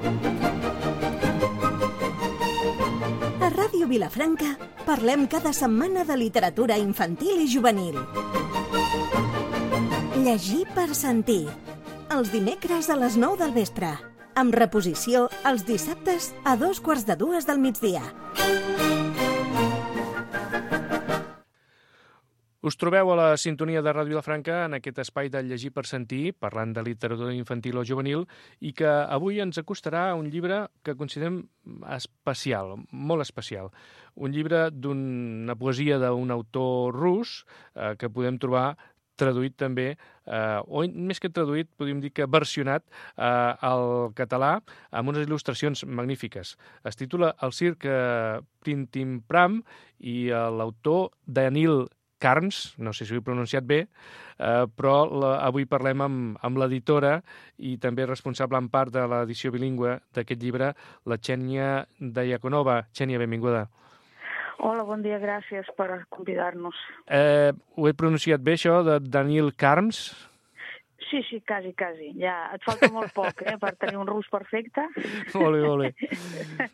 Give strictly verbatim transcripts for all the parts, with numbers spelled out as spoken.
A Ràdio Vilafranca parlem cada setmana de literatura infantil i juvenil. Llegir per sentir. Els dimecres a les nou del vespre. Amb reposició els dissabtes a dos quarts de dues del migdia. Us trobeu a la sintonia de Ràdio Vilafranca en aquest espai de Llegir per sentir, parlant de literatura infantil o juvenil, i que avui ens acostarà un llibre que considerem especial, molt especial. Un llibre d'una poesia d'un autor rus eh, que podem trobar traduït també, eh, o més que traduït, podríem dir que versionat eh, al català amb unes il·lustracions magnífiques. Es titula El circ Printimpram i eh, l'autor Danil Carms, no sé si ho he pronunciat bé, eh, però la, avui parlem amb, amb l'editora i també responsable en part de l'edició bilingüe d'aquest llibre, la Xènia Diakonova. Xènia, benvinguda. Hola, bon dia, gràcies per convidar-nos. Eh, ho he pronunciat bé, això, de Danil Carms? Sí, sí, quasi, quasi. Ja et falta molt poc, eh, per tenir un rus perfecte. Molt bé, molt bé.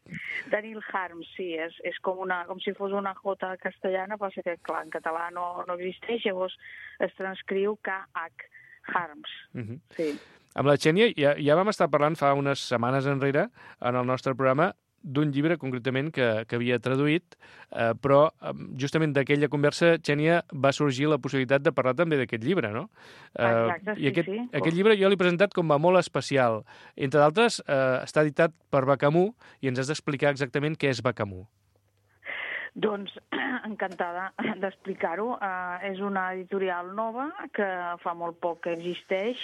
Danil Harms, sí, és, és com, una, com si fos una jota castellana, però que, clar, en català no, no existeix, llavors es transcriu K H Harms, uh-huh. Sí. Amb la Xènia ja, ja vam estar parlant fa unes setmanes enrere en el nostre programa d'un llibre concretament que, que havia traduït, eh, però justament d'aquella conversa, Xènia, va sorgir la possibilitat de parlar també d'aquest llibre, no? Eh, Exacte, sí, I aquest, sí. Aquest llibre jo l'he presentat com a molt especial. Entre d'altres, eh, està editat per Bacamú i ens has d'explicar exactament què és Bacamú. Doncs encantada d'explicar-ho. Uh, és una editorial nova que fa molt poc que existeix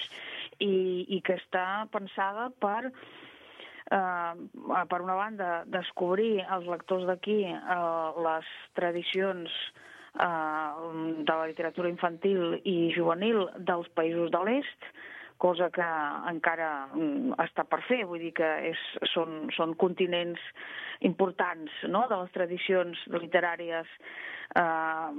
i, i que està pensada per... Uh, per una banda, descobrir els lectors d'aquí uh, les tradicions uh, de la literatura infantil i juvenil dels països de l'est, cosa que encara um, està per fer, vull dir que és, són, són continents importants, no?, de les tradicions literàries uh,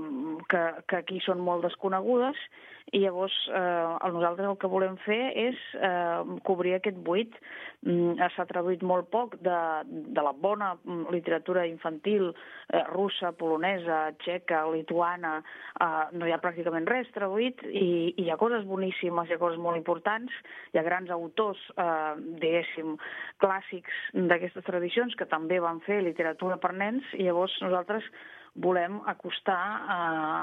que, que aquí són molt desconegudes, i llavors eh, nosaltres el que volem fer és eh, cobrir aquest buit. Mm, s'ha traduït molt poc de, de la bona literatura infantil eh, russa, polonesa, txeca, lituana, eh, no hi ha pràcticament res traduït i, i hi ha coses boníssimes, hi ha coses molt importants, hi ha grans autors, eh, diguéssim, clàssics d'aquestes tradicions que també van fer literatura per nens, i llavors nosaltres volem acostar a,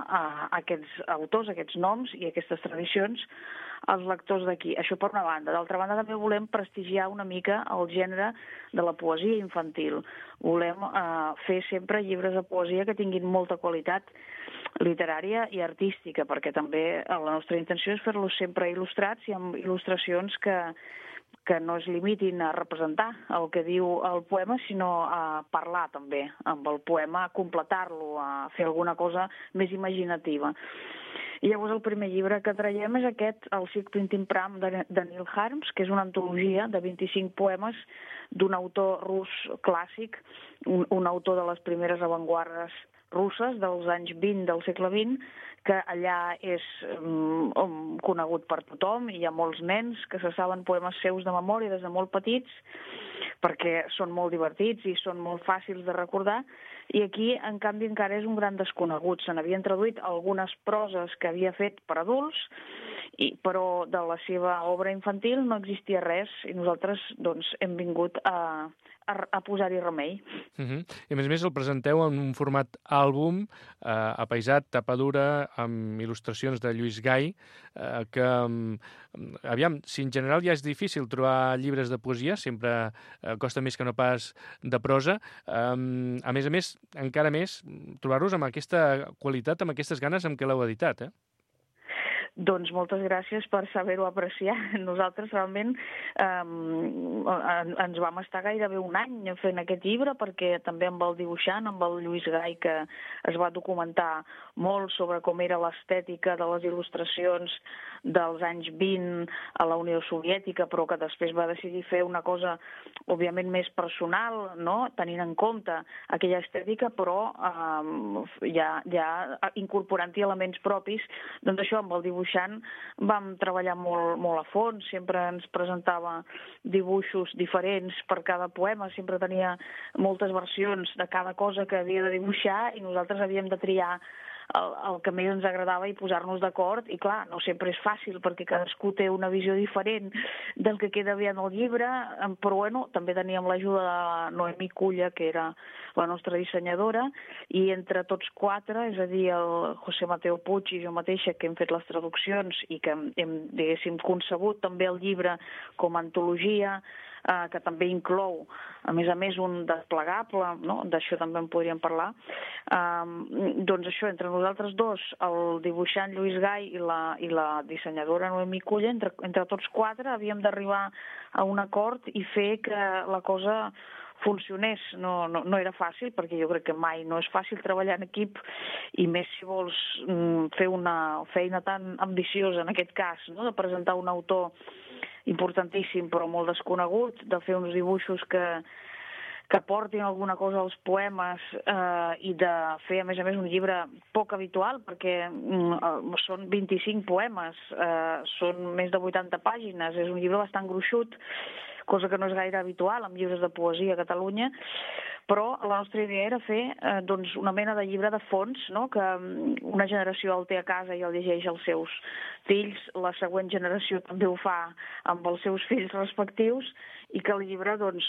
a aquests autors, aquests noms i aquestes tradicions als lectors d'aquí. Això per una banda. D'altra banda, també volem prestigiar una mica el gènere de la poesia infantil. Volem eh, fer sempre llibres de poesia que tinguin molta qualitat literària i artística, perquè també la nostra intenció és fer-los sempre il·lustrats i amb il·lustracions que que no es limitin a representar el que diu el poema, sinó a parlar també amb el poema, a completar-lo, a fer alguna cosa més imaginativa. I llavors el primer llibre que traiem és aquest, El circ Printimpram, de Danil Harms, que és una antologia de vint-i-cinc poemes d'un autor rus clàssic, un, un autor de les primeres avantguardes russes dels anys vint del segle vint, que allà és um, conegut per tothom, i hi ha molts nens que se saben poemes seus de memòria des de molt petits, perquè són molt divertits i són molt fàcils de recordar, i aquí, en canvi, encara és un gran desconegut. Se n'havien traduït algunes proses que havia fet per adults, i, però de la seva obra infantil no existia res, i nosaltres doncs, hem vingut a, a, a posar-hi remei. Uh-huh. I a més a més el presenteu en un format àlbum, eh, apaisat, tapa dura, amb il·lustracions de Lluís Gai, eh, que, aviam, si en general ja és difícil trobar llibres de poesia, sempre eh, costa més que no pas de prosa, eh, a més a més, encara més, trobar-los amb aquesta qualitat, amb aquestes ganes amb què l'heu editat, eh? Doncs moltes gràcies per saber-ho apreciar. Nosaltres realment eh, ens vam estar gairebé un any fent aquest llibre, perquè també amb el dibuixant, amb el Lluís Gai, que es va documentar molt sobre com era l'estètica de les il·lustracions dels anys vint a la Unió Soviètica, però que després va decidir fer una cosa, òbviament, més personal, no?, tenint en compte aquella estètica, però eh, ja, ja incorporant-hi elements propis. Doncs això, amb el dibuix dibuixant vam treballar molt, molt a fons, sempre ens presentava dibuixos diferents per cada poema, sempre tenia moltes versions de cada cosa que havia de dibuixar i nosaltres havíem de triar El, el que més ens agradava i posar-nos d'acord, i clar, no sempre és fàcil perquè cadascú té una visió diferent del que queda bé en el llibre, però bueno, també teníem l'ajuda de la Noemí Culla, que era la nostra dissenyadora, i entre tots quatre, és a dir, el José Mateo Puig i jo mateixa, que hem fet les traduccions i que hem, diguéssim, concebut també el llibre com a antologia, eh, que també inclou, a més a més, un desplegable, no? D'això també en podríem parlar. Eh, doncs això, entre nosaltres dos, el dibuixant Lluís Gai i la, i la dissenyadora Noemí Culla, entre, entre tots quatre havíem d'arribar a un acord i fer que la cosa funcionés. No, no, no era fàcil, perquè jo crec que mai no és fàcil treballar en equip, i més si vols mm, fer una feina tan ambiciosa, en aquest cas, no? De presentar un autor importantíssim però molt desconegut, de fer uns dibuixos que, que portin alguna cosa als poemes eh, i de fer, a més a més, un llibre poc habitual, perquè mm, són vint-i-cinc poemes, eh, són més de vuitanta pàgines, és un llibre bastant gruixut, cosa que no és gaire habitual en llibres de poesia a Catalunya, però la nostra idea era fer eh, doncs una mena de llibre de fons, no? Que una generació el té a casa i el llegeix als seus fills, la següent generació també ho fa amb els seus fills respectius, i que el llibre doncs,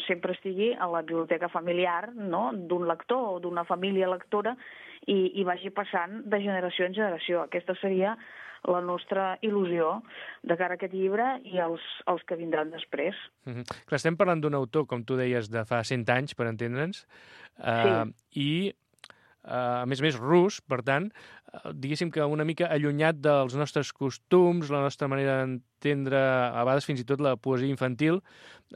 sempre estigui a la biblioteca familiar, no? D'un lector o d'una família lectora, i, i vagi passant de generació en generació. Aquesta seria la nostra il·lusió de cara a aquest llibre i els, els que vindran després. Mm-hmm. Clar, estem parlant d'un autor, com tu deies, de fa cent anys, per entendre'ns, eh, sí. i Uh, a més a més rus, per tant, uh, diguéssim que una mica allunyat dels nostres costums, la nostra manera d'entendre, a vegades fins i tot la poesia infantil,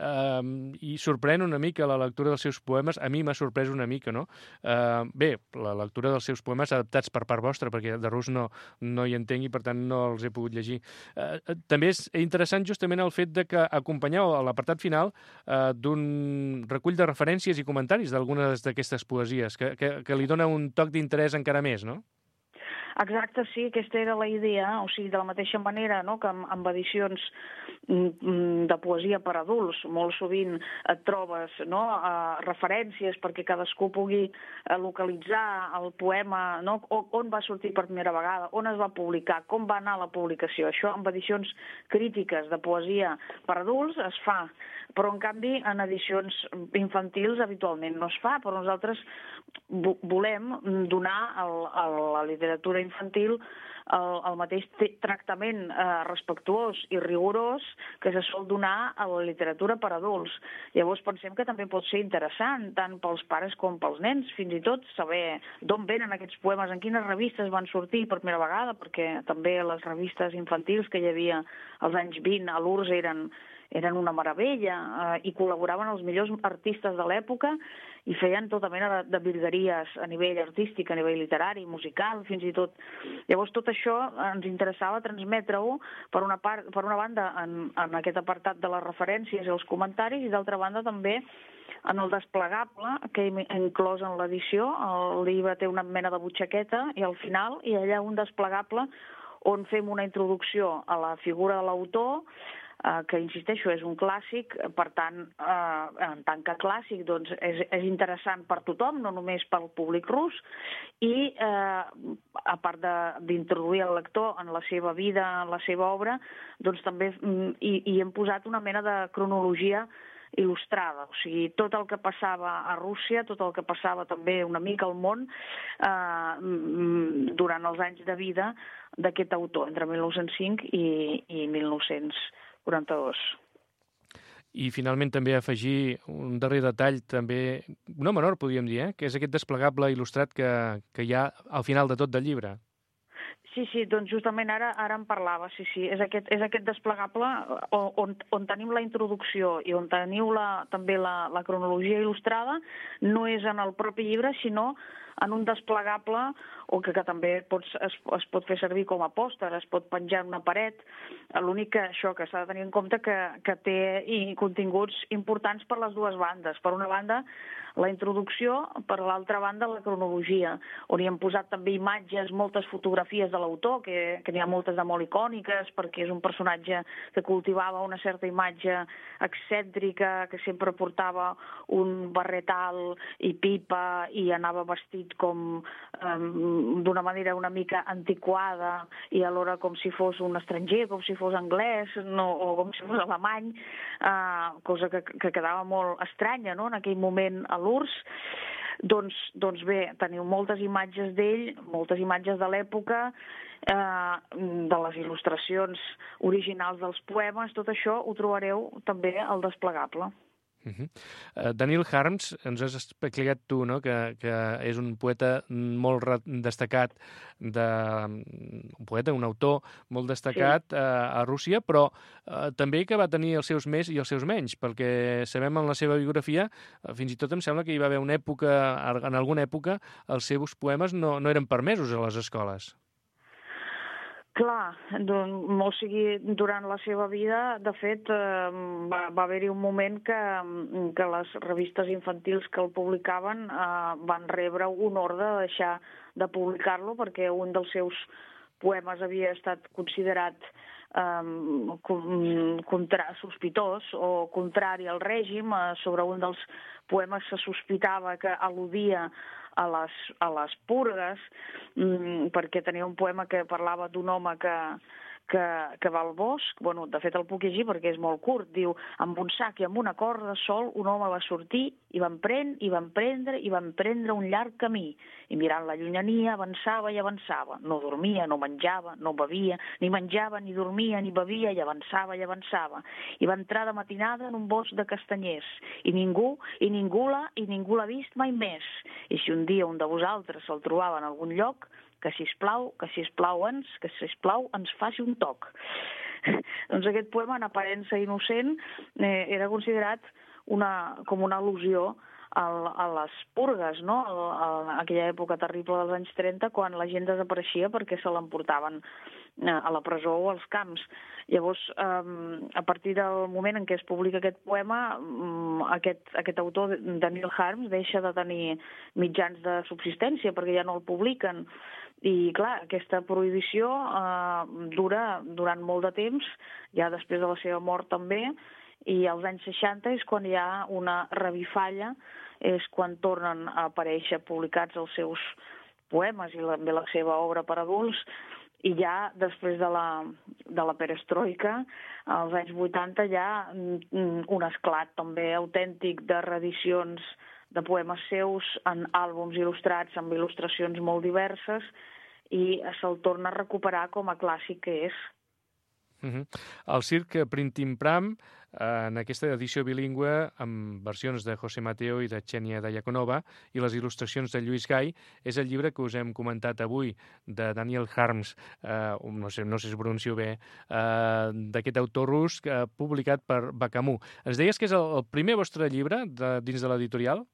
uh, i sorprèn una mica la lectura dels seus poemes. A mi m'ha sorprès una mica, no? Uh, bé, la lectura dels seus poemes adaptats per part vostra, perquè de rus no, no hi entenc i per tant no els he pogut llegir. Uh, també és interessant justament el fet de que acompanyeu a l'apartat final uh, d'un recull de referències i comentaris d'algunes d'aquestes poesies, que, que, que li dona un toc d'interès encara més, no? Exacte, sí, aquesta era la idea, o sigui, de la mateixa manera, no?, que amb, amb edicions de poesia per adults molt sovint et trobes, no?, uh, referències perquè cadascú pugui uh, localitzar el poema, no?, on va sortir per primera vegada, on es va publicar, com va anar la publicació. Això amb edicions crítiques de poesia per adults es fa, però en canvi en edicions infantils habitualment no es fa, però nosaltres volem donar al, a la literatura infantil el, el mateix tractament eh, respectuós i rigorós que se sol donar a la literatura per adults. Llavors pensem que també pot ser interessant, tant pels pares com pels nens, fins i tot saber d'on venen aquests poemes, en quines revistes van sortir per primera vegada, perquè també les revistes infantils que hi havia als anys vint a l'U R S S eren eren una meravella, eh, i col·laboraven els millors artistes de l'època i feien tota mena de, de virgueries a nivell artístic, a nivell literari, musical, fins i tot. Llavors tot això ens interessava transmetre-ho, per una part, per una banda en, en aquest apartat de les referències i els comentaris, i d'altra banda també en el desplegable que hem inclòs en l'edició. El llibre té una mena de butxaqueta i al final hi ha allà un desplegable on fem una introducció a la figura de l'autor, que, insisteixo, és un clàssic, per tant, eh, en tant que clàssic, doncs, és, és interessant per tothom, no només pel públic rus, i eh, a part d'introduir el lector en la seva vida, en la seva obra, doncs també hi, hi hem posat una mena de cronologia il·lustrada, o sigui, tot el que passava a Rússia, tot el que passava també una mica al món eh, durant els anys de vida d'aquest autor, entre mil nou-cents cinc i, i mil nou-cents quaranta-dos. I finalment també afegir un darrer detall, també no menor, podríem dir, eh? Que és aquest desplegable il·lustrat que, que hi ha al final de tot del llibre. Sí, sí, doncs justament ara ara en parlava, sí, sí, és aquest, és aquest desplegable on, on tenim la introducció i on teniu la, també la, la cronologia il·lustrada, no és en el propi llibre, sinó en un desplegable o que, que també pots, es, es pot fer servir com a pòster, es pot penjar en una paret. L'únic que això que s'ha de tenir en compte que, que té i continguts importants per les dues bandes. Per una banda, la introducció, per l'altra banda, la cronologia, on hi hem posat també imatges, moltes fotografies de l'autor, que, que n'hi ha moltes de molt icòniques, perquè és un personatge que cultivava una certa imatge excèntrica, que sempre portava un barret alt i pipa i anava vestit com um, d'una manera una mica antiquada i alhora com si fos un estranger, com si fos anglès no, o com si fos alemany, uh, cosa que, que quedava molt estranya, no?, en aquell moment a l'U R S S. Doncs, doncs bé, teniu moltes imatges d'ell, moltes imatges de l'època, eh, de les il·lustracions originals dels poemes, tot això ho trobareu també al desplegable. Uh -huh. uh, Daniel Harms, ens has explicat tu, no?, que, que és un poeta molt destacat, de, un poeta, un autor molt destacat sí. uh, a Rússia, però uh, també que va tenir els seus més i els seus menys, perquè sabem en la seva biografia, uh, fins i tot em sembla que hi va haver una època, en alguna època, els seus poemes no, no eren permesos a les escoles. Clar, o sigui, durant la seva vida, de fet, eh, va, va haver-hi un moment que, que les revistes infantils que el publicaven eh, van rebre un ordre de deixar de publicar-lo perquè un dels seus poemes havia estat considerat eh, contra, sospitós o contrari al règim. Eh, sobre un dels poemes se sospitava que al·ludia a les, a les purgues, mmm, perquè tenia un poema que parlava d'un home que, que, que va al bosc. Bueno, de fet el puc llegir perquè és molt curt. Diu, amb un sac i amb una corda sol un home va sortir i va emprendre, i va emprendre, i va emprendre un llarg camí. I mirant la llunyania avançava i avançava. No dormia, no menjava, no bevia, ni menjava, ni dormia, ni bevia, i avançava i avançava. I va entrar de matinada en un bosc de castanyers. I ningú, i ningú l'ha, i ningú l'ha vist mai més. I si un dia un de vosaltres se'l trobava en algun lloc, que sisplau, que sisplau ens, que sisplau ens faci un toc. Doncs aquest poema, en aparença innocent, eh, era considerat una, com una al·lusió a, a les purgues, no?, a, a aquella època terrible dels anys trenta, quan la gent desapareixia perquè se l'emportaven a la presó o als camps. Llavors, eh, a partir del moment en què es publica aquest poema, aquest, aquest autor, Daniel Harms, deixa de tenir mitjans de subsistència perquè ja no el publiquen. I, clar, aquesta prohibició eh, dura durant molt de temps, ja després de la seva mort també, i als anys seixanta és quan hi ha una revifalla, és quan tornen a aparèixer publicats els seus poemes i també la seva obra per adults, i ja després de la, de la perestroika, als anys vuitanta, hi ha un esclat també autèntic de reedicions de poemes seus en àlbums il·lustrats amb il·lustracions molt diverses, i se'l torna a recuperar com a clàssic que és. Uh-huh. El circ Printim Pram, en aquesta edició bilingüe, amb versions de José Mateo i de Xènia Diakonova i les il·lustracions de Lluís Gai, és el llibre que us hem comentat avui, de Daniel Harms, eh, no sé, no sé si pronuncio bé, eh, d'aquest autor rus, eh, publicat per Bacamú. Ens deies que és el, el primer vostre llibre de, dins de l'editorial?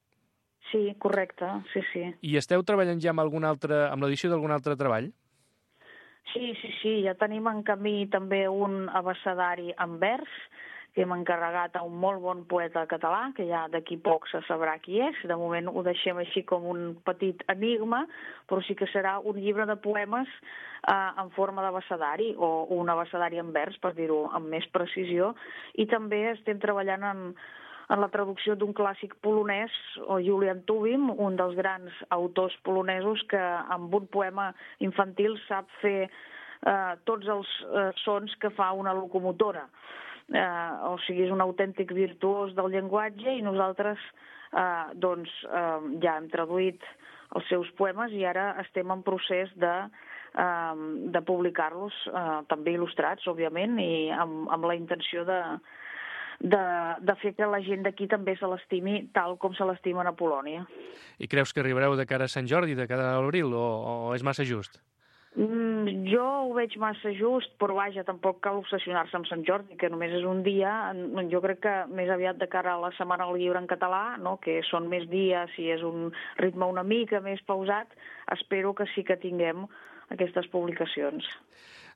Sí, correcte, sí, sí. I esteu treballant ja amb, algun altre, amb l'edició d'algun altre treball? Sí, sí, sí, ja tenim en camí també un abecedari en vers que hem encarregat a un molt bon poeta català, que ja d'aquí poc se sabrà qui és. De moment ho deixem així com un petit enigma, però sí que serà un llibre de poemes eh, en forma d'abecedari, o un abecedari en vers, per dir-ho amb més precisió, i també estem treballant en, en la traducció d'un clàssic polonès, o Julian Tubim, un dels grans autors polonesos que amb un poema infantil sap fer eh, tots els eh, sons que fa una locomotora. Eh, o sigui, és un autèntic virtuós del llenguatge, i nosaltres eh, doncs, eh, ja hem traduït els seus poemes i ara estem en procés de, eh, de publicar-los, eh, també il·lustrats, òbviament, i amb, amb la intenció de, de, de fer que la gent d'aquí també se l'estimi tal com se l'estimen a Polònia. I creus que arribareu de cara a Sant Jordi, de cara a l'abril, o, o és massa just? Mm, jo ho veig massa just, però vaja, tampoc cal obsessionar-se amb Sant Jordi, que només és un dia. Jo crec que més aviat de cara a la Setmana del Llibre en català, no? Que són més dies i és un ritme una mica més pausat, espero que sí que tinguem aquestes publicacions.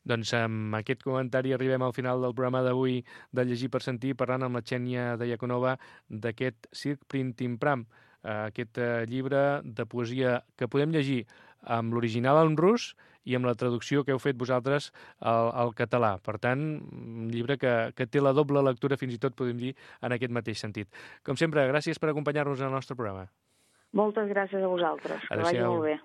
Doncs amb aquest comentari arribem al final del programa d'avui de Llegir per Sentir, parlant amb la Xènia Diaconova d'aquest Circ Printing Pram, aquest llibre de poesia que podem llegir amb l'original en rus i amb la traducció que heu fet vosaltres al, al català. Per tant, un llibre que, que té la doble lectura, fins i tot podem dir, en aquest mateix sentit. Com sempre, gràcies per acompanyar-nos en el nostre programa. Moltes gràcies a vosaltres. Que vagi molt bé.